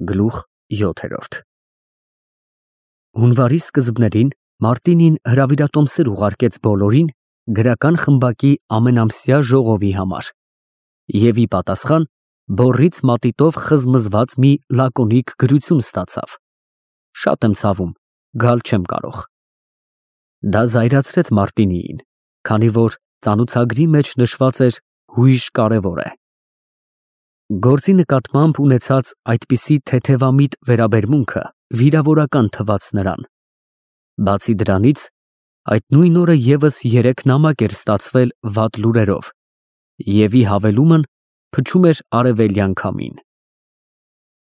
Գլուխ 7 Հունվարի սկզբներին Մարտինին հրավիրատոմսեր ուղարկեց բոլորին գրական խմբակի ամենամսյա ժողովի համար և ի պատասխան բոռից մատիտով խզմզված մի լակոնիկ գրություն ստացավ. Շատ եմ ցավում, գալ չեմ կարող։ Դա զայրացրեց Մարտինիին, քանի որ ծանոթագրի մեջ նշված էր հույժ կարևոր է։ Գործի նկատմամբ ունեցած այդպիսի թեթևամիտ վերաբերմունքը վիրավորական թվաց նրան։ Բացի դրանից, այդ նույն օրը ևս 3 նամակ էր ստացվել վատ լուրերով, և ի հավելումն փչում էր արևելյան քամին։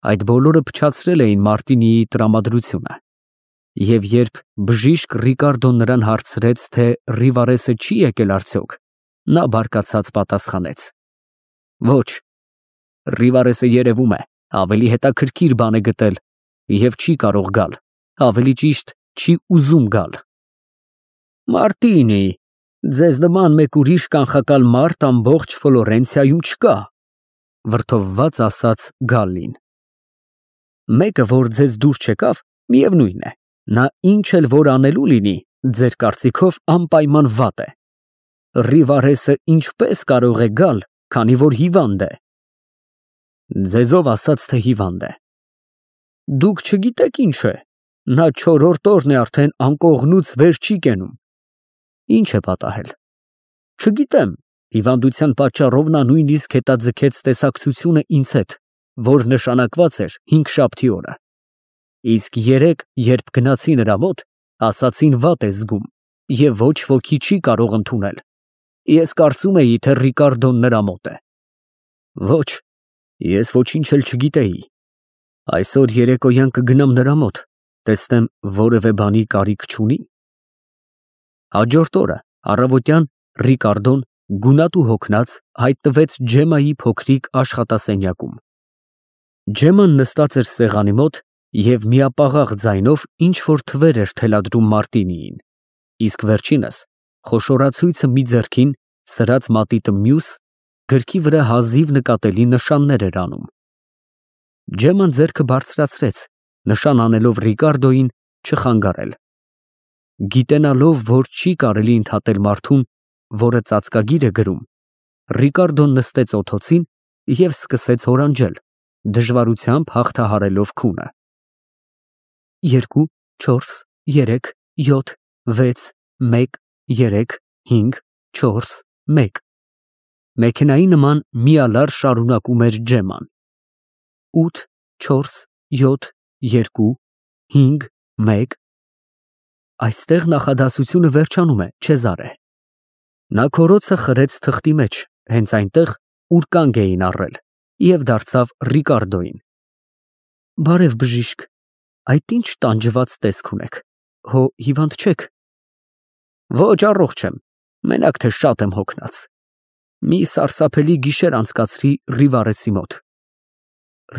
Այդ բոլորը փչացրել էին Մարտինիի տրամադրությունը, և երբ բժիշկ Ռիկարդոն նրան հարցրեց, թե Ռիվարեսը չի եկել արդյոք, նա բարկացած պատասխանեց. Ոչ, Ռիվարեսը երևում է ավելի հետաքրքիր բան է գտել և չի կարող գալ, ավելի ճիշտ չի ուզում գալ։ Մարտինի, ձեզ նման մեկ ուրիշ կանխակալ մարդ ամբողջ Ֆլորենցիայում չկա, վրդովված ասաց Գալլին։ Մեկը, որ ձեզ դուր չեկավ, միևնույն է, նա ինչ էլ որ անելու լինի, ձեր կարծիքով անպայման վատ է։ Ռիվարեսը ինչպես կարող է գալ, քանի որ հիվանդ է։ Ձեզով ասաց, թե հիվանդ է։ Դուք չգիտեք ինչ է, նա 4-րդ օրն է արդեն անկողնուց վեր չի կենում։ Ինչ է պատահել։ Չգիտեմ, հիվանդության պատճառով նա նույնիսկ հետաձգեց տեսակցությունը ինձ հետ, որ նշանակված էր 5 օրը։ Իսկ 3, երբ գնացի նրա մոտ, ասացին վատ է զգում և ոչ ոքի չի կարող ընդունել։ Ես կարծում էի, թե Ռիկարդոն նրա մոտ է։ Ոչ, ես ոչինչ էլ չգիտեի։ Այսօր երեկոյան կգնամ նրա մոտ, տեսնեմ որևէ բանի կարիք չունի։ Հաջորդ օրը առավոտյան Ռիկարդոն գունատ ու հոգնած հայտնվեց Ջեմմայի փոքրիկ աշխատասենյակում։ Ջեմման նստած էր սեղանի մոտ և միապաղաղ ձայնով ինչ-որ թվեր էր թելադրում Մարտինիին, իսկ վերջինս խոշորացույցը մի ձեռքին, սրած մատիտը մյուս, գրքի վրա հազիվ նկատելի նշաններ էր անում։ Ջեմման ձեռքը բարձրացրեց, նշան անելով Ռիկարդոյին չխանգարել։ Գիտենալով, որ չի կարելի ընդհատել մարդուն, որը ծածկագիր է գրում, Ռիկարդոն նստեց օդոցին և սկսեց հորանջել, դժվարությամբ հաղթահարելով քունը։ 2, 4, 3, 7, 6, 1, 3, 5, 4, 1 Մեքենայի նման միալար շարունակում էր Ջեմման։ 8, 4, 7, 2, 5, 1 Այստեղ նախադասությունը վերջանում է, Չեզարե։ Նա քորոցը խրեց թղթի մեջ, հենց այնտեղ, ուր կանգ էին առել, և դարձավ Ռիկարդոյին։ Բարև բժիշկ, այդ ինչ տանջված տեսք ունեք, հո հիվանդ չեք։ Ոչ, առողջ եմ, մենակ թե շատ եմ հոգնած։ Մի սարսափելի գիշեր անցկացրի Ռիվարեսի մոտ։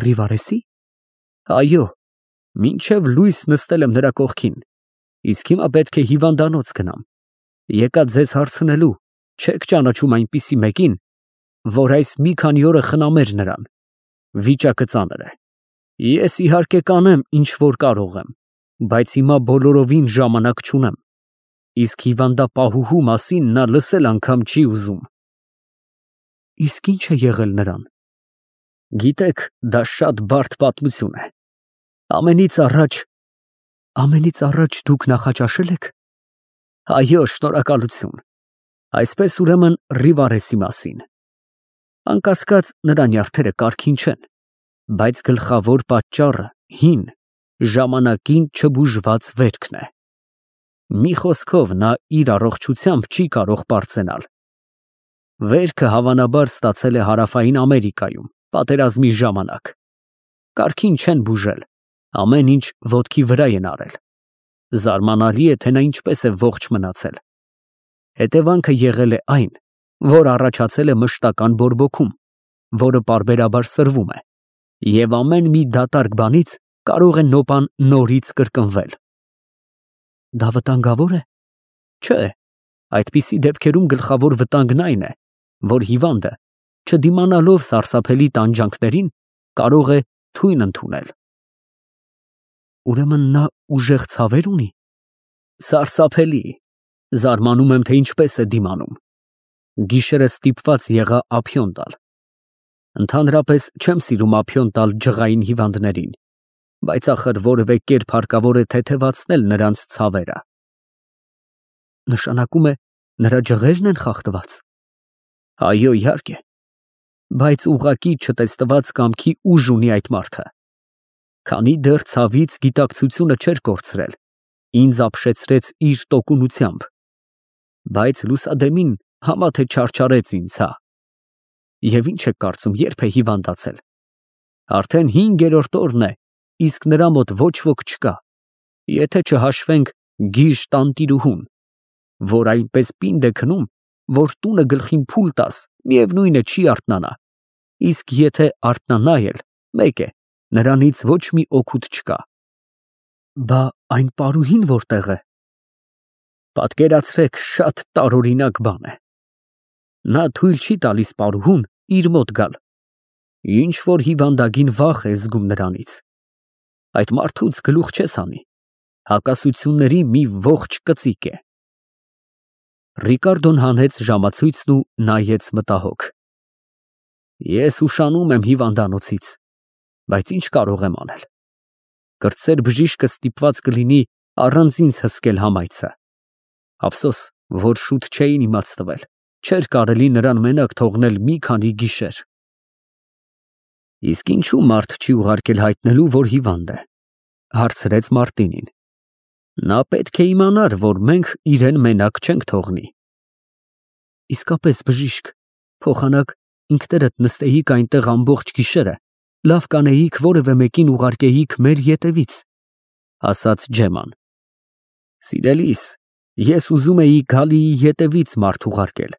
Ռիվարեսի։ Այո, մինչև լույս նստել եմ նրա կողքին, իսկ հիմա պետք է հիվանդանոց գնամ։ Եկա ձեզ հարցնելու, չեք ճանաչում այնպիսի մեկին, որ այս մի քանի օրը խնամեր նրան։ Վիճակը ծանր է։ Ես իհարկե կանեմ, ինչ որ կարող եմ, բայց հիմա բոլորովին ժամանակ չունեմ։ Իսկ հիվանդապահուհու մասին նա լսել անգամ չի ուզում։ Իսկ ինչ է եղել նրան։ Գիտեք, դա շատ բարդ պատմություն է։ Ամենից առաջ դուք նախաճաշել եք։ Այո, շնորհակալություն։ Այսպես ուրեմն Ռիվարեսի մասին։ Անկասկած նրա նյարդերը կարգին չեն, բայց գլխավոր պատճառը հին, ժամանակին չբուժված վերքն է։ Մի խոսքով նա իր առողջությամբ չի կարող պարծենալ։ Վերքը հավանաբար ստացել է Հարավային Ամերիկայում, պատերազմի ժամանակ։ Կարգին չեն բուժել, ամեն ինչ ոտքի վրա են արել։ Զարմանալի է, թե նա ինչպես է ողջ մնացել։ Հետևանքը եղել է այն, որ առաջացել է մշտական բորբոքում, որը պարբերաբար սրվում է, և ամեն մի դատարկ բանից կարող է նոպան նորից կրկնվել։ Դա վտանգավոր է։ Չէ, այդպիսի դեպքերում գլխավոր վտանգն այն է, որ հիվանդը, չդիմանալով սարսափելի տանջանքներին, կարող է թույն ընդունել։ Ուրեմն նա ուժեղ ցավեր ունի։ Սարսափելի, զարմանում եմ, թե ինչպես է դիմանում։ Գիշերը ստիպված եղա ափիոն տալ։ Ընդհանրապես չեմ սիրում ափիոն տալ ջղային հիվանդներին, բայց ախր որևէ կերպ հարկավոր է թեթևացնել նրանց ցավերը։ Նշանակում է, նրա ջղերն են խախտված։ Այո, իհարկե, բայց ուղղակի չտեսնված կամքի ուժ ունի այդ մարդը։ Քանի դեռ ցավից գիտակցությունը չէր կորցրել, ինձ ապշեցրեց իր տոկունությամբ, բայց լուսադեմին համա թե չարչարեց ինձ, հա։ Եվ ինչ եք կարծում, երբ է հիվանդացել։ Արդեն 5-րդ օրն է, իսկ նրա մոտ ոչ ոք չկա, եթե չհաշվենք գիժ տանտիրուհուն, որ այնպես պինդ է քնում, որ տունը գլխին փուլ տաս, միևնույն է չի արթնանա, իսկ եթե արթնանա էլ, մեկ է, նրանից ոչ մի օգուտ չկա։ Բա այն պարուհին որտեղ է։ Պատկերացրեք, շատ տարօրինակ բան է։ Նա թույլ չի տալիս պարուհուն իր մոտ գալ։ Ինչ որ հիվանդագին վախ է զգում նրանից։ Այդ մարդուց գլուխ չես հանի, հակասությունների մի ողջ կծիկ է։ Ռիկարդոն հանեց ժամացույցն ու նայեց մտահոգ։ Ես ուշանում եմ հիվանդանոցից, բայց ինչ կարող եմ անել։ Կրտսեր բժիշկը ստիպված կլինի առանց ինձ հսկել համայցը։ Ափսոս, որ շուտ չէին իմացտվել, չէր կարելի նրան մենակ թողնել մի քանի գիշեր։ Իսկ ինչու մարդ չի ուղարկել հայտնելու, որ հիվանդ է, հարցրեց Մարտինին։ Նա պետք է իմանար, որ մենք իրեն մենակ չենք թողնի։ Իսկապես, բժիշկ, փոխանակ ինքներդ նստեիք այնտեղ ամբողջ գիշերը, լավ կանեիք որևէ մեկին ուղարկեիք մեր ետևից, ասաց Ջեման։ Սիրելիս, ես ուզում էի Գալիի ետևից մարդ ուղարկել,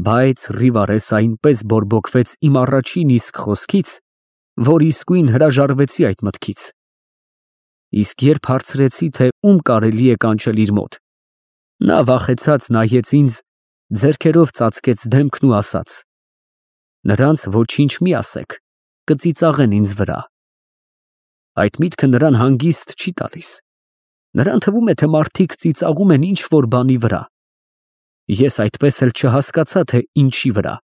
բայց Ռիվարես այնպես բորբոքվեց իմ առաջին իսկ խոսքից, որ իսկույն հրաժարվեցի այդ մտքից։ Իսկ երբ հարցրեցի, թե ում կարելի է կանչել իր մոտ, նա վախեցած նայեց ինձ, ձեռքերով ծածկեց դեմքն ու ասաց. Նրանց ոչինչ մի ասեք, կծիծաղեն ինձ վրա։ Այդ միտքը նրան հանգիստ չի տալիս։ Նրան թվում է, թե մարդիկ ծիծաղում են ինչ որ բանի վրա։ Ես այդպես էլ չհասկացա, թե ինչի վրա։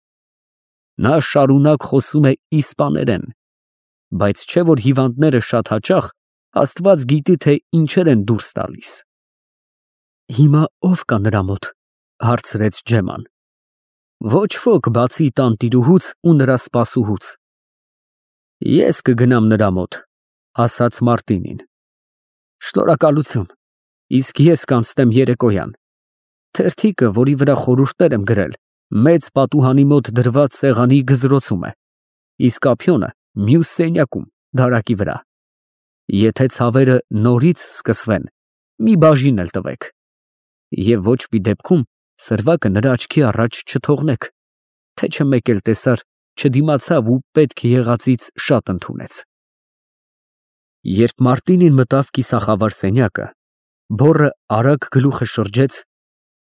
Նա շարունակ խոսում է իսպաներեն, բայց չէ որ հիվանդները շատ հաճախ Աստված գիտի, թե ինչեր են դուրս տալիս։ Հիմա ով կա նրա մոտ, հարցրեց Ջեման։ Ոչ ոք բացի տանտիրուհուց ու նրա սպասուհուց։ Ես կգնամ նրա մոտ, ասաց Մարտինին։ Շնորհակալություն, իսկ ես կանցնեմ երեկոյան։ Թերթիկը, որի վրա խորհուրդներ եմ գրել, մեծ պատուհանի մոտ դրված սեղանի գզրոցում է, իսկ ափիոնը մյուս սենյակում, դարակի վրա։ Եթե ցավերը նորից սկսվեն, մի բաժին էլ տվեք։ Եվ ոչ մի դեպքում սրվակը նրա աչքի առաջ չթողնեք, թե չէ մեկ էլ տեսար, չդիմացավ ու պետք եղածից շատ ընդունեց։ Երբ Մարտինին մտավ կիսախավար սենյակը, բոռը արագ գլուխը շրջեց,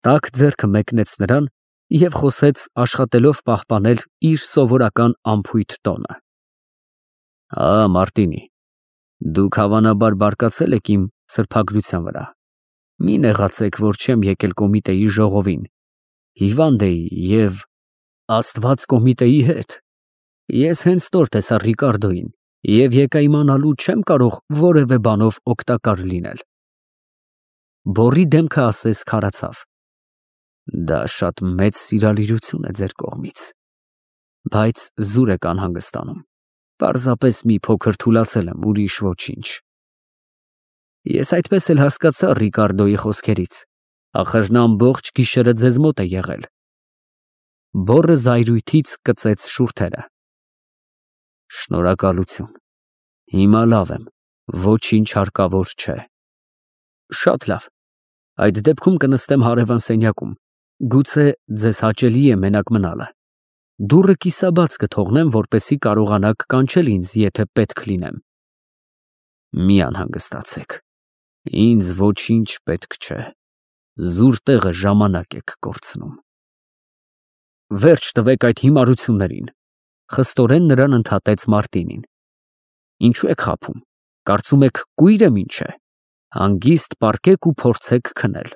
տաք ձեռքը մեկնեց նրան և խոսեց աշխատելով պահպանել իր սովորական անփույթ տոնը։ Մարտինի, դուք հավանաբար բարկացել եք իմ սրբագրության վրա։ Մի նեղացեք, որ չեմ եկել կոմիտեի ժողովին։ Հիվանդ էի և Աստված կոմիտեի հետ։ Ես հենց նոր տեսա Ռիկարդոյին և եկա իմանալու չեմ կարող որևէ բանով օգտակար լինել։ Բոռի դեմքը ասես քարացավ։ Դա շատ մեծ սիրալիրություն է ձեր կողմից, բայց զուր եք անհանգստանում։ Պարզապես մի փոքր թուլացել եմ, ուրիշ ոչինչ։ Ես այդպես էլ հասկացա Ռիկարդոյի խոսքերից, ախր նա ամբողջ գիշերը ձեզ մոտ է եղել։ Բոռը զայրույթից կծեց շուրթերը։ Շնորհակալություն։ Հիմա լավ եմ, ոչինչ հարկավոր չէ։ Շատ լավ։ Այդ դեպքում կնստեմ հարևան սենյակում, գուցե ձեզ հաճելի է մենակ մնալը։ Դուռը կիսաբաց կթողնեմ, որպեսզի կարողանաք կանչել ինձ, եթե պետք լինեմ։ Մի անհանգստացեք, ինձ ոչինչ պետք չէ, զուր տեղը ժամանակ եք կորցնում։ Վերջ տվեք այդ հիմարություններին, խստորեն նրան ընդհատեց Մարտինին։ Ինչու եք խաբում, Կարծում եք կույր եմ ինչ է։ Հանգիստ պառկեք ու փորձեք քնել։